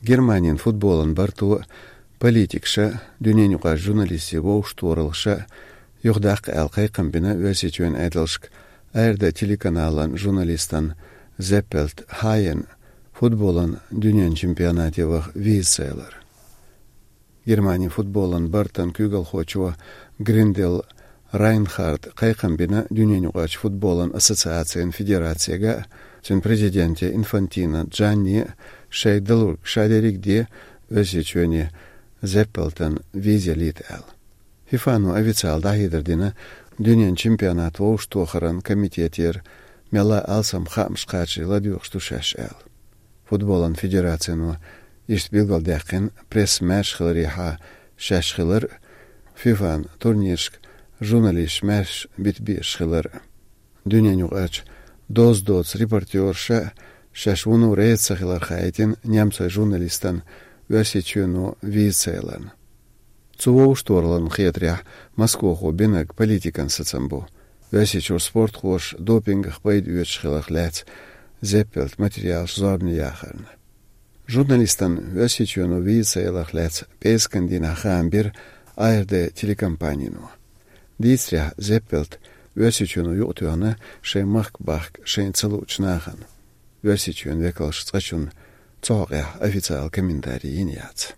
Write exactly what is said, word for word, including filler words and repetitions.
Германин футболан барто, политикаша, дуьненаюкъарчу журналистийн вовшахтохараллаша юхадаккха аьлла кхайкхам бина Оьрсийчоьнан Ӏедалшка АРД телеканалан журналистана Зеппелт Хайена футболан дуьненан чемпионате ваха виза ца ялар. Германин футболан бартан куьйгалхочо Гриндел Райнхарда кхайкхам бина дуьненаюкъарчу футболан ассоциацийн федерацига, цуьнан президенте Инфантино Джанне шайн далург ша дерриг а де Оьрсийчоьне Зеппелтана виза ялийта аьлла. ФИФА-но официально дӀахьедар дина дуьненан чемпионат вовшахтохаран комитетера мелла а алсам хаамаш кхачий ладоьгӀуш ду шаьш аьлла. Футболан федерацино иштта билгалдаьккхина пресса маьрша хиларехьа шаьш хилар а, ФИФА-н турнирашка журналисташ маьрша бита безаш хилар а. Дуьненаюкъарчу доза доцу репортёраша шаьш вуно реза ца хилар хаийтина немцойн журналистана Оьрсийчоьно виза ца яларна. Цу вовшахтохараллина хетарехь, Москвахо бинарг политикан сацам бу, Оьрсийчуьра спортхоша допингах пайда оьцуш хиларх лаьцна Зеппелта материалаш зорбане яхарна. Журналистана Оьрсийчоьно виза ца яларх лаьцна пӀераскан дийнахь хаам бира АРД телекомпанино. Дийцарехь, Зеппелта Оьрсийчоьно юкъатоьхна шайн махка бахка шайна ца луучу нахана. Оьрсийчоьнан векалша цкъачунна цу хьокъехь официально комментарий йина яц.